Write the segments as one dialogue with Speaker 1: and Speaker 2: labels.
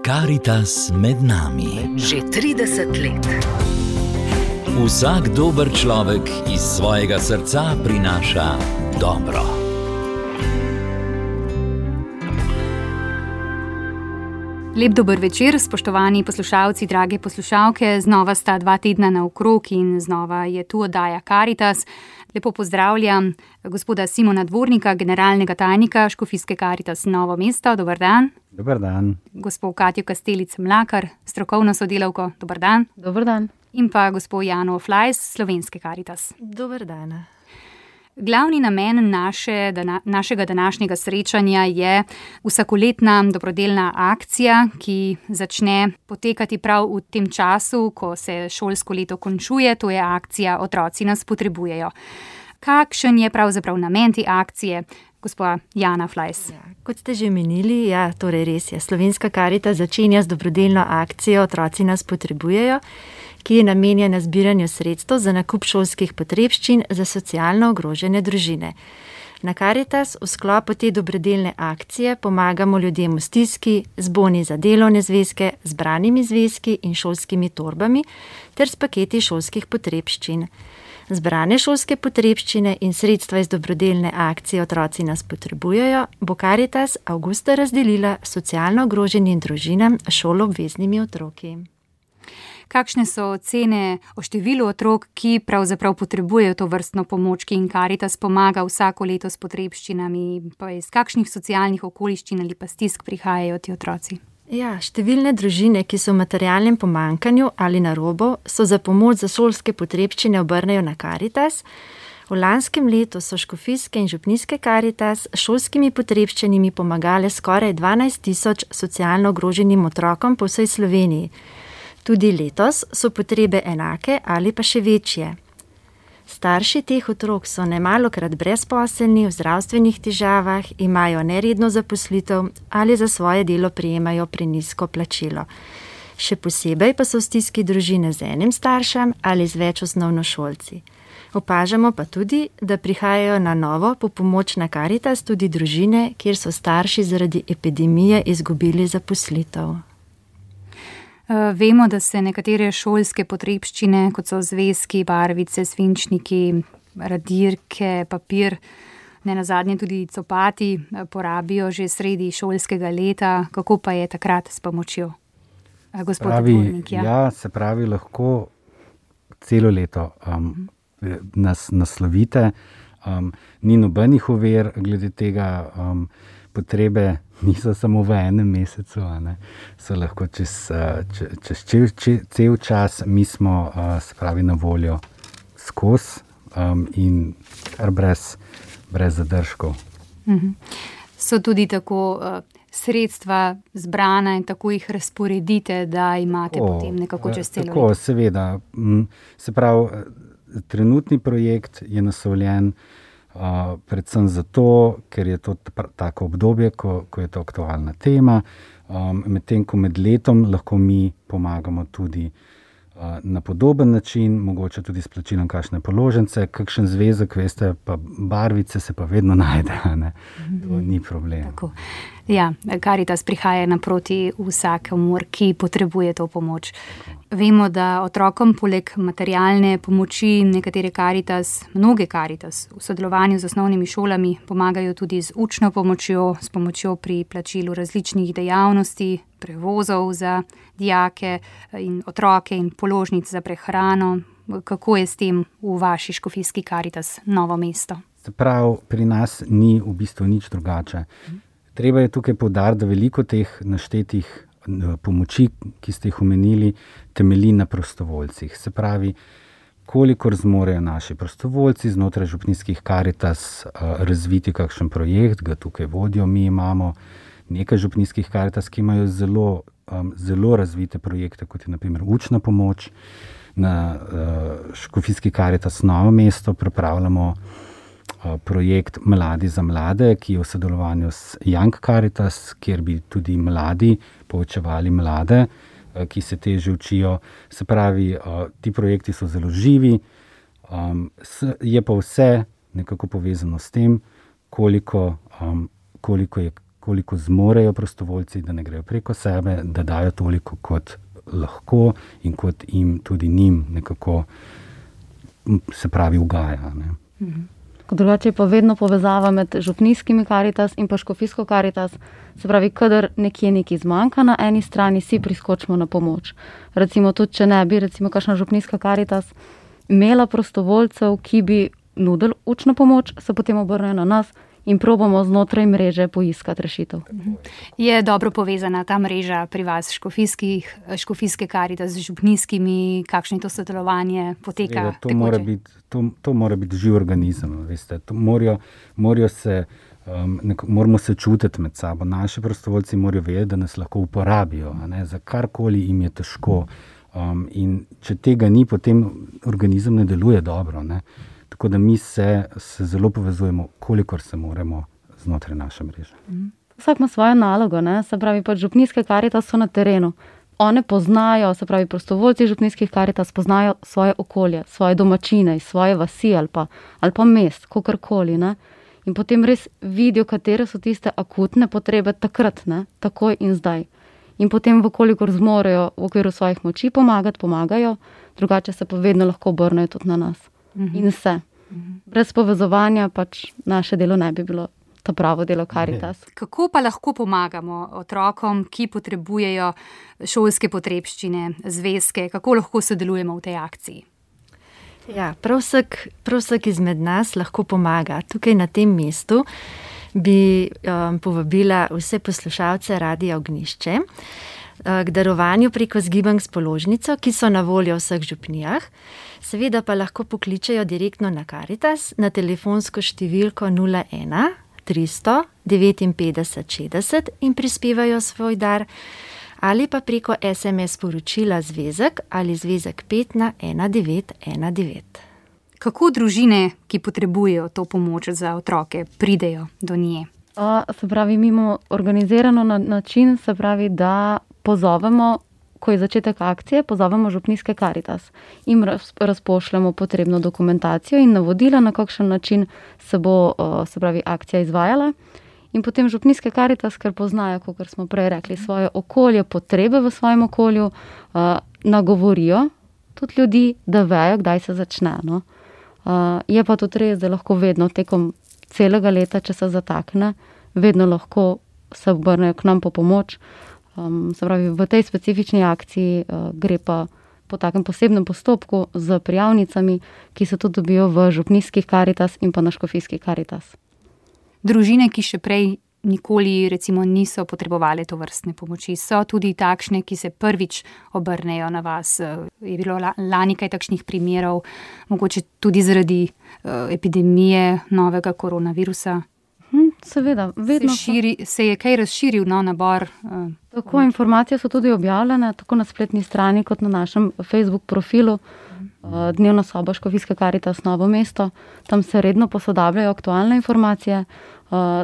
Speaker 1: Karitas med nami.
Speaker 2: Že 30 let.
Speaker 1: Vsak dober človek iz svojega srca prinaša dobro.
Speaker 3: Lep dober večer, spoštovani poslušalci, drage poslušalke. Znova sta 2 tedna naokrog in znova je tu oddaja Karitas. Lepo pozdravljam gospoda Simona Dvornika, generalnega tajnika Škofijske Karitas Novo mesto. Dober dan.
Speaker 4: Dober dan.
Speaker 3: Gospod Katjo Kastelic-Mlakar, strokovno sodelavko. Dober dan.
Speaker 5: Dober dan.
Speaker 3: In pa gospod Jano Flajs, Slovenske Karitas.
Speaker 5: Dober dan.
Speaker 3: Glavni namen našega današnjega srečanja je vsakoletna dobrodelna akcija, ki začne potekati prav v tem času, ko se šolsko leto končuje. To je akcija Otroci nas potrebujejo. Kakšen je pravzaprav namen te akcije, gospa Jana Flajs?
Speaker 5: Kot ste že menili, torej res je. Slovenska Karitas začenja z dobrodelno akcijo Otroci nas potrebujejo, ki je namenjena zbiranju sredstev za nakup šolskih potrebščin za socialno ogrožene družine. Na Karitas v sklopu te dobrodelne akcije pomagamo ljudem v stiski z boni za delovne zvezke, zbranimi zvezki in šolskimi torbami ter s paketi šolskih potrebščin. Zbrane šolske potrebščine in sredstva iz dobrodelne akcije Otroci nas potrebujejo bo Karitas avgusta razdelila socialno ogroženim družinam s šoloobveznimi otroki.
Speaker 3: Kakšne so ocene o številu otrok, ki pravzaprav potrebujejo to vrstno pomoč, ki jim Karitas pomaga vsako leto s potrebščinami? Pa iz kakšnih socialnih okoliščin ali pa stisk prihajajo ti otroci?
Speaker 5: Številne družine, ki so v materialnem pomanjkanju ali na robu, so za pomoč za šolske potrebščine obrnejo na Karitas. V lanskem letu so škofijske in župnijske Karitas s šolskimi potrebščinami pomagale skoraj 12.000 socialno ogroženim otrokom po vsej Sloveniji. Tudi letos so potrebe enake ali pa še večje. Starši teh otrok so nemalokrat brezposelni, v zdravstvenih težavah, imajo neredno zaposlitev ali za svoje delo prejemajo prenizko plačilo. Še posebej pa so v stiski družine z enim staršem ali z več osnovnošolci. Opažamo pa tudi, da prihajajo na novo po pomoč na Karitas tudi družine, kjer so starši zaradi epidemije izgubili zaposlitev.
Speaker 3: Vemo, da se nekatere šolske potrebščine, kot so zvezki, barvice, svinčniki, radirke, papir, nenazadnje tudi copati, porabijo že sredi šolskega leta. Kako pa je takrat s pomočjo? Gospod Dvornik,
Speaker 4: se pravi, lahko celo leto nas naslovite. Ni nobenih ovir glede tega, potrebe niso samo v enem mesecu, so lahko čez cel čas. Mi smo na voljo skozi in kar brez zadržkov.
Speaker 3: So tudi tako sredstva zbrana in tako jih razporedite, da imate potem nekako čez celo leto?
Speaker 4: Tako, seveda. Se pravi, trenutni projekt je naslovljen predvsem zato, ker je to tako obdobje, ko je to aktualna tema, medtem ko med letom lahko mi pomagamo tudi na podoben način, mogoče tudi s plačilom kakšne položnice, kakšen zvezek, veste, pa barvice se pa vedno najde, to ni problem.
Speaker 3: Tako. Karitas prihaja naproti vsakomur, ki potrebuje to pomoč. Vemo, da otrokom poleg materialne pomoči mnoge Karitas v sodelovanju z osnovnimi šolami pomagajo tudi z učno pomočjo, s pomočjo pri plačilu različnih dejavnosti, prevozov za dijake in otroke in položnic za prehrano. Kako je s tem v vaši škofijski Karitas Novo mesto?
Speaker 4: Se pravi, pri nas ni v bistvu nič drugače. Treba je tukaj poudariti, da veliko teh naštetih pomoči, ki ste jih omenili, temelji na prostovoljcih. Se pravi, kolikor zmorejo naši prostovoljci znotraj župnijskih Karitas razviti kakšen projekt, ga tukaj vodijo. Mi imamo nekaj župnijskih Karitas, ki imajo zelo razvite projekte, kot je na primer učna pomoč. Na škofijski Karitas Novo mesto pripravljamo projekt Mladi za mlade, ki je v sodelovanju s Young Karitas, kjer bi tudi mladi poučevali mlade, ki se težje učijo. Se pravi, ti projekti so zelo živi, je pa vse nekako povezano s tem, koliko je koliko zmorejo prostovoljci, da ne grejo preko sebe, da dajo toliko, kot lahko in kot jim tudi njim nekako, se pravi, ugaja. Ne.
Speaker 2: Drugače je pa vedno povezava med župnijskimi Karitas in pa škofijsko Karitas. Se pravi, kadar nekje nekaj zmanjka na eni strani, si priskočimo na pomoč. Recimo tudi, če ne bi, recimo, kakšna župnijska Karitas imela prostovoljcev, ki bi nudili učno pomoč, se potem obrnejo na nas in probamo znotraj mreže poiskati rešitev.
Speaker 3: Je dobro povezana ta mreža pri vas, škofijske Karitas z župnijskimi, kakšno to sodelovanje poteka?
Speaker 4: To mora biti živ organizem, veste. Moramo se čutiti med sabo. Naši prostovoljci morajo vedeti, da nas lahko uporabijo, ne, za karkoli jim je težko. In če tega ni, potem organizem ne deluje dobro, ne. Tako da mi se zelo povezujemo, kolikor se moramo znotraj naše mreže.
Speaker 2: Vsak ima svojo nalogo, ne? Se pravi, pač župnijske Karitas so na terenu. One poznajo, se pravi, prostovoljci župnijskih Karitas poznajo svoje okolje, svoje domačine, svoje vasi ali pa mest, kakorkoli, ne. In potem res vidijo, katere so tiste akutne potrebe takrat, ne, takoj in zdaj. In potem, vkolikor zmorejo v okviru svojih moči pomagajo, drugače se pa vedno lahko obrnejo tudi na nas. In vse. Brez povezovanja pač naše delo ne bi bilo to pravo delo Karitas.
Speaker 3: Kako pa lahko pomagamo otrokom, ki potrebujejo šolske potrebščine, zvezke? Kako lahko sodelujemo v tej akciji?
Speaker 5: Ja, prav vsak izmed nas lahko pomaga. Tukaj na tem mestu bi povabila vse poslušalce Radia Ognjišče k darovanju preko zgibank s položnico, ki so na voljo v vseh župnijah. Seveda pa lahko pokličejo direktno na Karitas na telefonsko številko 01 300 59 60 in prispevajo svoj dar, ali pa preko SMS sporočila zvezek ali zvezek 5 na 1919.
Speaker 3: Kako družine, ki potrebujejo to pomoč za otroke, pridejo do nje?
Speaker 2: Se pravi, mi imamo organizirano na način, se pravi, da pozovemo, ko je začetek akcije, pozovemo župnijske Karitas. Im razpošljamo potrebno dokumentacijo in navodila, na kakšen način se bo, se pravi, akcija izvajala. In potem župnijske Karitas, ker poznajo, kot smo prej rekli, svoje okolje, potrebe v svojem okolju, nagovorijo tudi ljudi, da vejo, kdaj se začne. No. Je pa tudi res, da lahko vedno tekom celega leta, če se zatakne, vedno lahko se obrnejo k nam po pomoč. Se pravi, v tej specifični akciji gre pa po takem posebnem postopku z prijavnicami, ki se tudi dobijo v župnijskih Karitas in pa na škofijskih Karitas.
Speaker 3: Družine, ki še prej nikoli recimo niso potrebovali to vrstne pomoči, so tudi takšne, ki se prvič obrnejo na vas. Je bilo lani kaj takšnih primerov, mogoče tudi zaradi epidemije novega koronavirusa?
Speaker 2: Seveda, vedno
Speaker 3: se je kaj razširil nabor?
Speaker 2: Tako, informacije so tudi objavljene, tako na spletni strani kot na našem Facebook profilu. Dnevna soba Škofijske Karitas Novo mesto. Tam se redno posodabljajo aktualne informacije,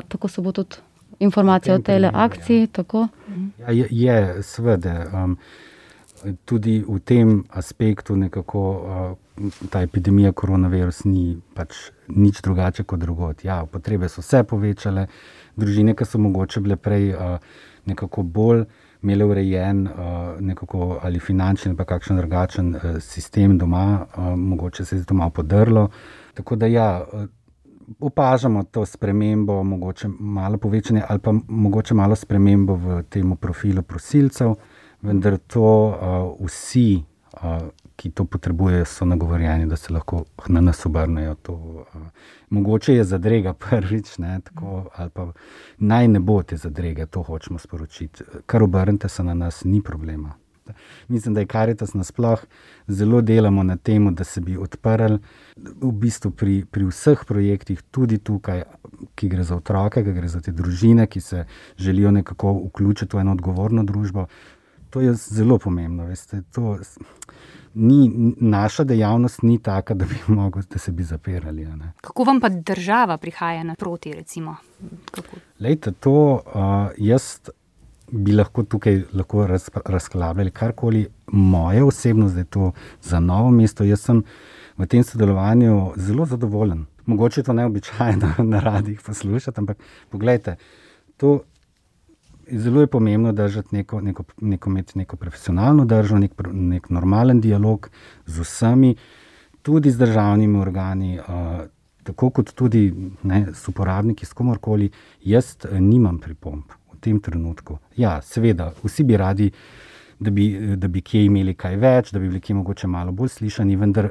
Speaker 2: tako se bo tudi informacija o tej akciji. Tako.
Speaker 4: Je, seveda, tudi v tem aspektu nekako ta epidemija koronavirus ni pač nič drugače kot drugod. Ja, potrebe so se povečale, družine, ki so mogoče bile prej nekako bolj imele urejen nekako ali finančni ali pa kakšen drugačen sistem doma, mogoče se je to malo podrlo. Tako da ja, opažamo to spremembo, mogoče malo povečanje ali pa mogoče malo spremembo v tem profilu prosilcev, vendar to vsi, ki to potrebujejo, so nagovorjeni, da se lahko na nas obrnejo. Mogoče je zadrega prvič, ne, tako, ali pa naj ne bo te zadrege, to hočemo sporočiti. Kar obrnite se na nas, ni problema. Mislim, da je Karitas nasploh zelo delamo na tem, da se bi odprli v bistvu pri vseh projektih, tudi tukaj, ki gre za otroke, ki gre za te družine, ki se želijo nekako vključiti v eno odgovorno družbo. To je zelo pomembno, veste, naša dejavnost ni taka, da bi mogli, da se bi zapirali. Ne.
Speaker 3: Kako vam pa država prihaja naproti, recimo?
Speaker 4: Lejte, to jaz bi lahko tukaj razklabljali karkoli. Moje osebnost, da je to za Novo mesto, jaz sem v tem sodelovanju zelo zadovoljen. Mogoče to neobičajno na radijih poslušati, ampak poglejte, to zelo je pomembno držati neko profesionalno držo, nek normalen dialog z vsemi, tudi z državnimi organi, tako kot tudi s uporabniki, s komorkoli. Jaz nimam pripomb v tem trenutku. Ja, seveda, vsi bi radi, da bi kje imeli kaj več, da bi bili kje mogoče malo bolj slišani, vendar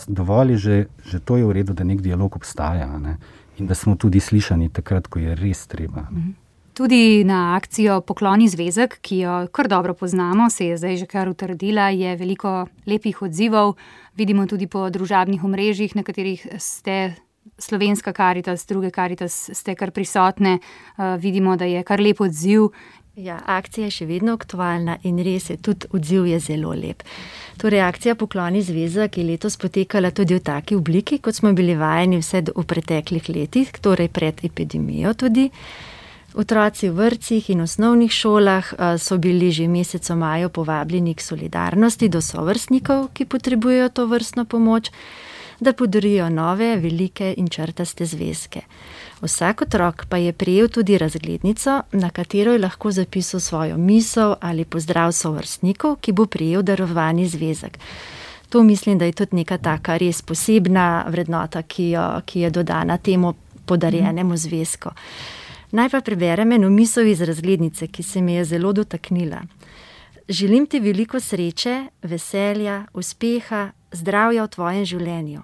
Speaker 4: dovolj je že to je v redu, da nek dialog obstaja, ne? In da smo tudi slišani takrat, ko je res treba.
Speaker 3: Tudi na akcijo Pokloni zvezek, ki jo kar dobro poznamo, se je zdaj že kar utrdila, je veliko lepih odzivov. Vidimo tudi po družabnih omrežjih, na katerih ste Slovenska Karitas, druge Karitas ste kar prisotne. Vidimo, da je kar lep odziv.
Speaker 5: Ja, akcija je še vedno aktualna in res je, tudi odziv je zelo lep. Torej, akcija Pokloni zvezek je letos potekala tudi v taki obliki, kot smo bili vajeni vse v preteklih letih, torej pred epidemijo tudi. Otroci v vrtcih in osnovnih šolah so bili že v mesecu maju povabljeni k solidarnosti do sovrstnikov, ki potrebujejo to vrstno pomoč, da podarijo nove, velike in črtaste zvezke. Vsak otrok pa je prejel tudi razglednico, na katero je lahko zapisal svojo misel ali pozdrav sovrstnikov, ki bo prejel darovani zvezek. To mislim, da je tudi neka taka res posebna vrednota, ki je dodana temu podarjenemu zvezku. Naj pa preberem eno misel iz razglednice, ki se mi je zelo dotaknila. Želim ti veliko sreče, veselja, uspeha, zdravja v tvojem življenju.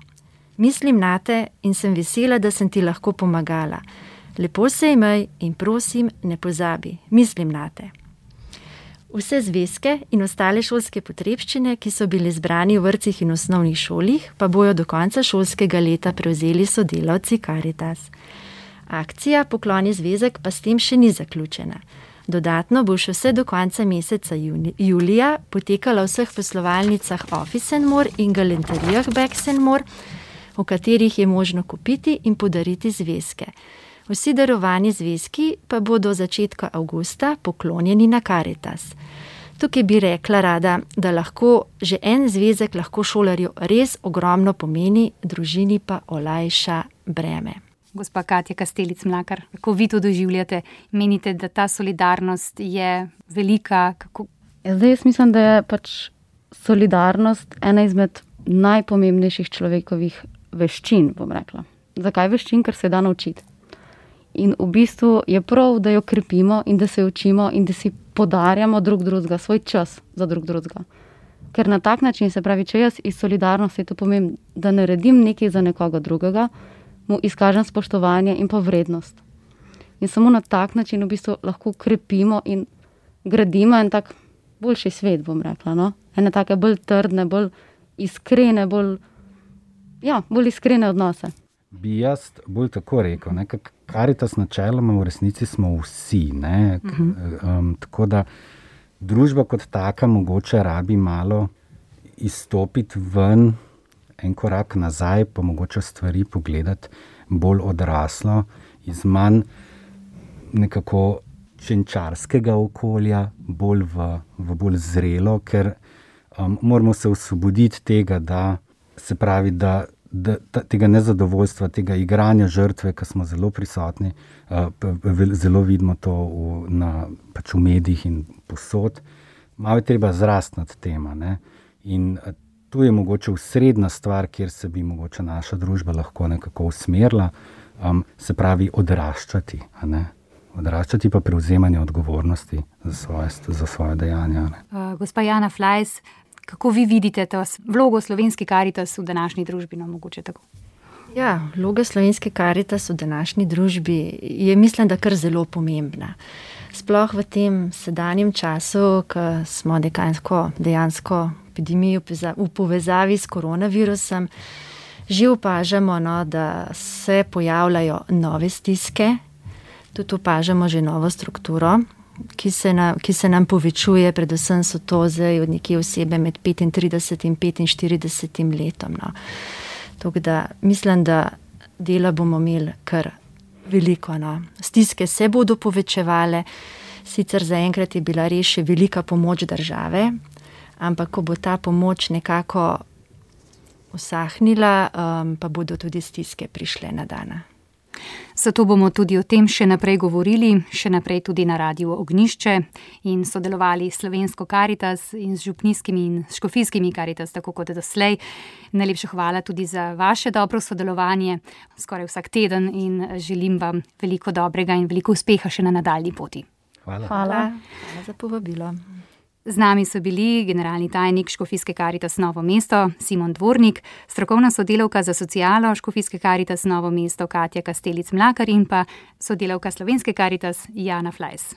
Speaker 5: Mislim nate in sem vesela, da sem ti lahko pomagala. Lepo se imej in prosim, ne pozabi, mislim nate. Vse zvezke in ostale šolske potrebščine, ki so bili zbrani v vrtcih in osnovnih šolih, pa bojo do konca šolskega leta prevzeli sodelavci Karitas. Akcija Pokloni zvezek pa s tem še ni zaključena. Dodatno bo še vse do konca meseca julija potekala v vseh poslovalnicah Office & More in galanterijah Bags & More, v katerih je možno kupiti in podariti zvezke. Vsi darovani zvezki pa bodo od začetka avgusta poklonjeni na Karitas. Tukaj bi rekla rada, da lahko že en zvezek lahko šolarju res ogromno pomeni, družini pa olajša breme.
Speaker 3: Gospa Katja Kastelic Mlakar, kako vi to doživljate? Menite, da ta solidarnost je velika?
Speaker 2: Zdaj jaz mislim, da je pač solidarnost ena izmed najpomembnejših človekovih veščin, bom rekla. Zakaj veščin? Ker se da naučiti. In v bistvu je prav, da jo krepimo in da se učimo in da si podarjamo drug drugega, svoj čas za drug drugega. Ker na tak način, se pravi, če jaz iz solidarnosti to pomem, da naredim nekaj za nekoga drugega, mu izkažem spoštovanje in pa vrednost. In samo na tak način v bistvu lahko krepimo in gradimo en tak boljši svet, bom rekla, no? Ene take bolj trdne, bolj iskrene, bolj iskrene odnose.
Speaker 4: Bi jaz bolj tako rekel, ne? Karitas načeloma v resnici smo vsi, ne? Tako da družba kot taka mogoče rabi malo izstopiti ven, en korak nazaj, pa mogoče stvari pogledati bolj odraslo, iz manj nekako čenčarskega okolja, bolj v bolj zrelo, ker moramo se osvoboditi tega, da se pravi, da tega nezadovoljstva, tega igranja žrtve, ki smo zelo prisotni, zelo vidimo to pač v medijih in posod. Malo je treba zrasti nad tema, ne? In tu je mogoče osrednja stvar, kjer se bi mogoče naša družba lahko nekako usmerila, se pravi odraščati, a ne? Odraščati pa prevzemanje odgovornosti za svoje dejanja.
Speaker 3: Gospa Jana Flajs, kako vi vidite to vlogo Slovenske Karitas v današnji družbi? No, mogoče tako.
Speaker 5: Ja, vloga Slovenske Karitas v današnji družbi je, mislim, da kar zelo pomembna. Sploh v tem sedanjem času, ko smo dejansko epidemijo v povezavi s koronavirusom, že opažamo, no, da se pojavljajo nove stiske, tudi opažamo že novo strukturo, ki se nam povečuje, predvsem so to zdaj od nekje osebe med 35 in 45 letom. No. Tako da mislim, da dela bomo imeli kar veliko. No. Stiske se bodo povečevale, sicer zaenkrat je bila res še velika pomoč države, ampak ko bo ta pomoč nekako usahnila, pa bodo tudi stiske prišle na dana.
Speaker 3: Zato bomo tudi o tem še naprej govorili, še naprej tudi na Radiu Ognjišče in sodelovali s Slovensko Karitas in z župnijskimi in škofijskimi Karitas, tako kot doslej. Najlepša hvala tudi za vaše dobro sodelovanje skoraj vsak teden in želim vam veliko dobrega in veliko uspeha še na nadaljnji poti.
Speaker 2: Hvala
Speaker 5: za povabilo.
Speaker 3: Z nami so bili generalni tajnik Škofijske Karitas Novo mesto Simon Dvornik, strokovna sodelavka za socialo Škofijske Karitas Novo mesto Katja Kastelic-Mlakar in pa sodelavka Slovenske Karitas Jana Flajs.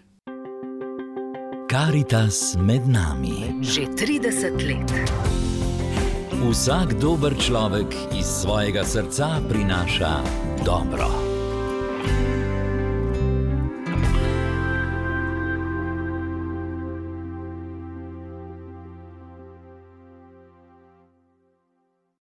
Speaker 1: Karitas med nami.
Speaker 6: Že 30 let.
Speaker 1: Vsak dober človek iz svojega srca prinaša dobro.